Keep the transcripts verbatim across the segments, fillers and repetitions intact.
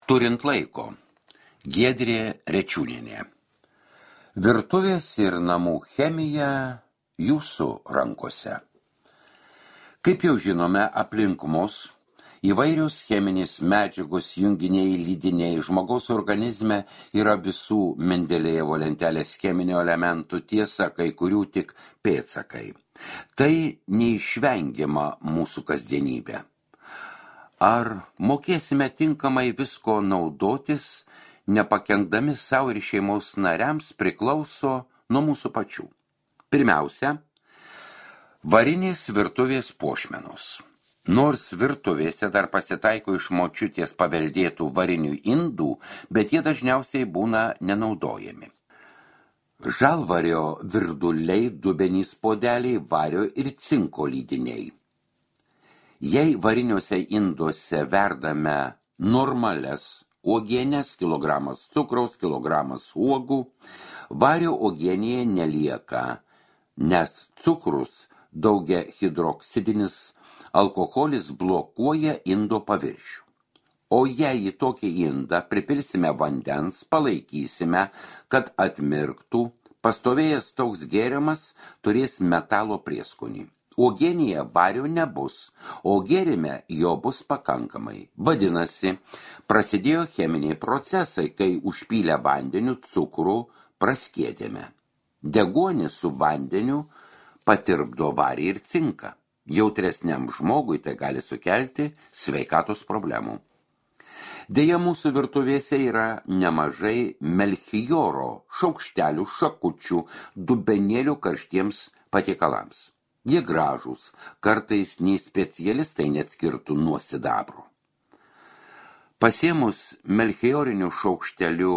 Turint laiko. Giedrė Rečiūnienė. Virtuvės ir namų chemija jūsų rankose. Kaip jau žinome, aplink mus įvairios cheminės medžiagos, junginiai, lydiniai žmogaus organizme yra visų Mendelėjevo lentelės cheminių elementų, tiesa, kai kurių tik pėdsakai. Tai neišvengiama mūsų kasdienybė. Ar mokėsime tinkamai visko naudotis, nepakenkdami savo ir šeimos nariams, priklauso nuo mūsų pačių. Pirmiausia, varinės virtuvės puošmenos. Nors virtuvėse dar pasitaiko iš močiutės paveldėtų varinių indų, bet jie dažniausiai būna nenaudojami. Žalvario virduliai, dubenys podeliai, vario ir cinko lydiniai. Jei variniuose induose verdame normales uogienės, kilogramas cukraus, kilogramas uogų, vario uogienėje nelieka, nes cukrus daugia hidroksidinis alkoholis blokuoja indo paviršių. O jei į tokį indą pripilsime vandens, palaikysime, kad atmirktų, pastovėjęs toks gėrimas turės metalo prieskonį. Uogienėje vario nebus, o gėrime jo bus pakankamai. Vadinasi, prasidėjo cheminiai procesai, kai užpylę vandeniu cukrų praskiedėme. Deguonis su vandeniu patirpdo varį ir cinką. Jautresniam žmogui tai gali sukelti sveikatos problemų. Deja, mūsų virtuvėse yra nemažai melchioro šaukštelių, šakučių, dubenėlių karštiems patiekalams. Jie gražūs, kartais nei specialistai neatskirtų nuo sidabro. Pasėmus melchiorinių šaukštelių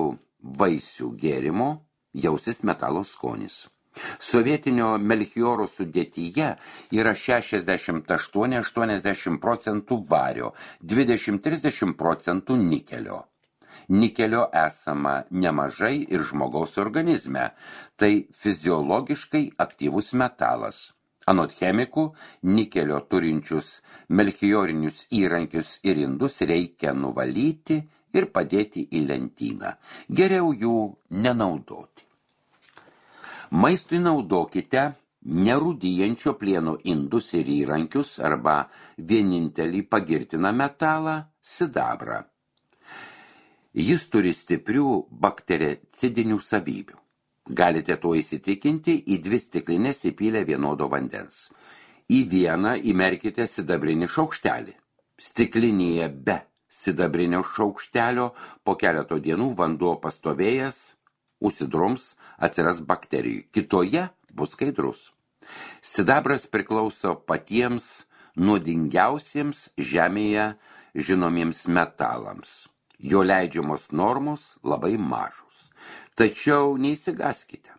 vaisių gėrimo, jausis metalo skonis. Sovietinio melchioro sudėtyje yra šešiasdešimt aštuoni iki aštuoniasdešimt procentų vario, dvidešimt iki trisdešimt procentų nikelio. Nikelio esama nemažai ir žmogaus organizme, tai fiziologiškai aktyvus metalas. Anot chemikų, nikelio turinčius melchiorinius įrankius ir indus reikia nuvalyti ir padėti į lentyną. Geriau jų nenaudoti. Maistui naudokite nerūdijančio plieno indus ir įrankius arba vienintelį pagirtiną metalą – sidabrą. Jis turi stiprių baktericidinių savybių. Galite to įsitikinti į dvi stiklinės įpylę vienodo vandens. Į vieną įmerkite sidabrinį šaukštelį. Stiklinėje be sidabrinio šaukštelio po keleto dienų vanduo pastovėjęs, užsidrums, atsiras bakterijų. Kitoje bus skaidrus. Sidabras priklauso patiems nuodingiausiems žemėje žinomiems metalams. Jo leidžiamos normos labai mažos. Tačiau neįsigaskite.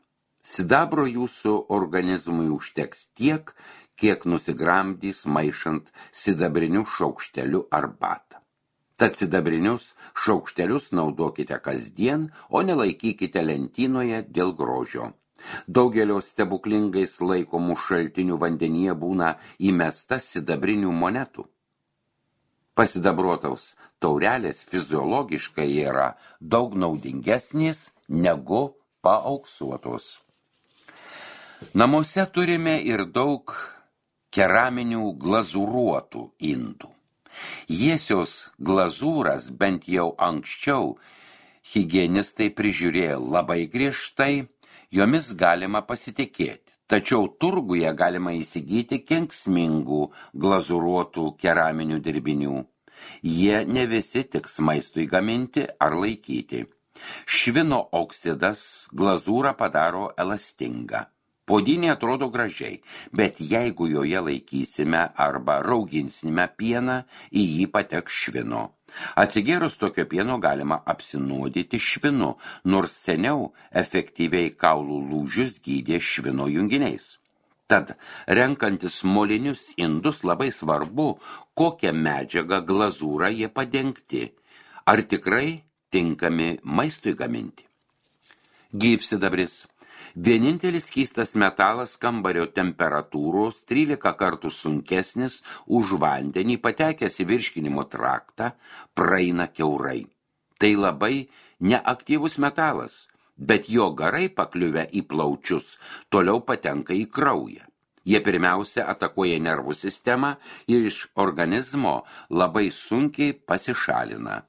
Sidabro jūsų organizmui užteks tiek, kiek nusigramdys maišant sidabrinių šaukštelių arbatą. Tad sidabrinius šaukštelius naudokite kasdien, o nelaikykite lentynoje dėl grožio. Daugelio stebuklingais laikomų šaltinių vandenyje būna įmesta sidabrinių monetų. Pasidabruotos taurelės fiziologiškai yra daug naudingesnės negu paauksuotos. Namuose turime ir daug keraminių glazūruotų indų. Jiesios glazūras bent jau anksčiau higienistai prižiūrėjo labai griežtai, jomis galima pasitikėti. Tačiau turguje galima įsigyti kenksmingų glazūruotų keraminių dirbinių. Jie ne visi tiks maistui gaminti ar laikyti. Švino oksidas glazūrą padaro elastingą. Puodynė atrodo gražiai, bet jeigu joje laikysime arba rauginsime pieną, į jį pateks švino. Atsigėrus tokio pieno galima apsinuodyti švinu, nors seniau efektyviai kaulų lūžius gydė švino junginiais. Tad, renkantis molinius indus, labai svarbu, kokią medžiagą glazūrą jie padengti. Ar tikrai tinkami maistui gaminti? Gyvsidabris. Vienintelis skystas metalas kambario temperatūros trylika kartų sunkesnis už vandenį patekęs į virškinimo traktą praeina kiaurai. Tai labai neaktyvus metalas, bet jo garai pakliuvę į plaučius toliau patenka į kraują. Jie pirmiausia atakuoja nervų sistemą ir iš organizmo labai sunkiai pasišalina.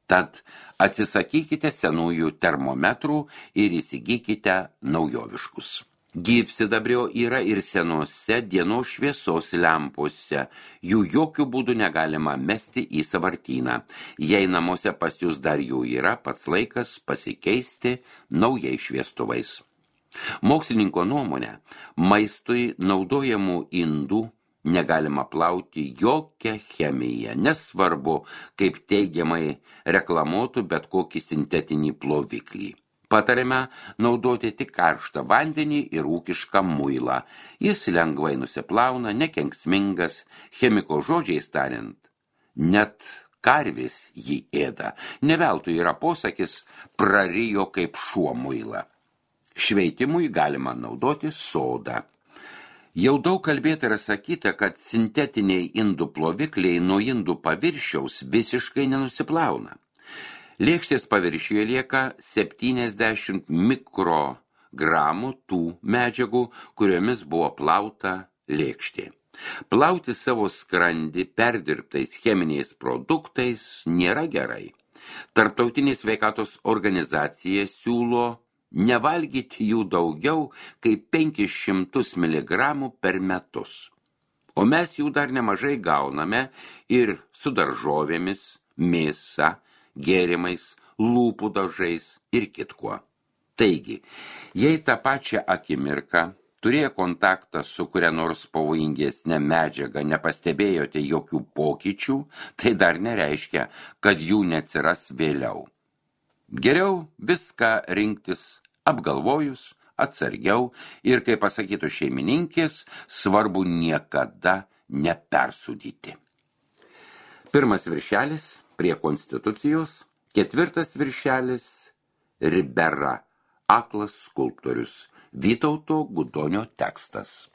Tad atsisakykite senųjų termometrų ir įsigykite naujoviškus. Gyvsidabrio yra ir senose dienos šviesos lempose. Jų jokių būdų negalima mesti į sąvartyną. Jei namuose pas jūs dar jų yra, pats laikas pasikeisti naujais šviestuvais. Mokslininko nuomonė, maistui naudojamų indų negalima plauti jokią chemiją, nesvarbu, kaip teigiamai reklamuotų bet kokį sintetinį ploviklį. Patariame naudoti tik karštą vandenį ir ūkišką muilą. Jis lengvai nusiplauna, nekenksmingas, chemiko žodžiais tariant. Net karvės jį ėda. Ne veltui yra posakis prarijo kaip šuo muilą. Šveitimui galima naudoti sodą. Jau daug kalbėta ir sakyta, kad sintetiniai indų plovikliai nuo indų paviršiaus visiškai nenusiplauna. Lėkštės paviršiuje lieka septyniasdešimt mikrogramų tų medžiagų, kuriomis buvo plauta lėkštė. Plauti savo skrandį perdirbtais cheminiais produktais nėra gerai. Tarptautinė sveikatos organizacija siūlo nevalgyti jų daugiau kaip penkis šimtus miligramų per metus. O mes jų dar nemažai gauname ir su daržovėmis, mėsa, gėrimais, lūpų dažais ir kitkuo. Taigi, jei tą pačią akimirką turėję kontaktą su kuria nors pavojingesnė medžiaga nepastebėjote jokių pokyčių, tai dar nereiškia, kad jų neatsiras vėliau. Geriau viską rinktis apgalvojus, atsargiau ir, kaip pasakytų šeimininkės, svarbu niekada nepersūdyti. Pirmas viršelis prie Konstitucijos, ketvirtas viršelis Ribera, aklas skulptorius, Vytauto Gudonio tekstas.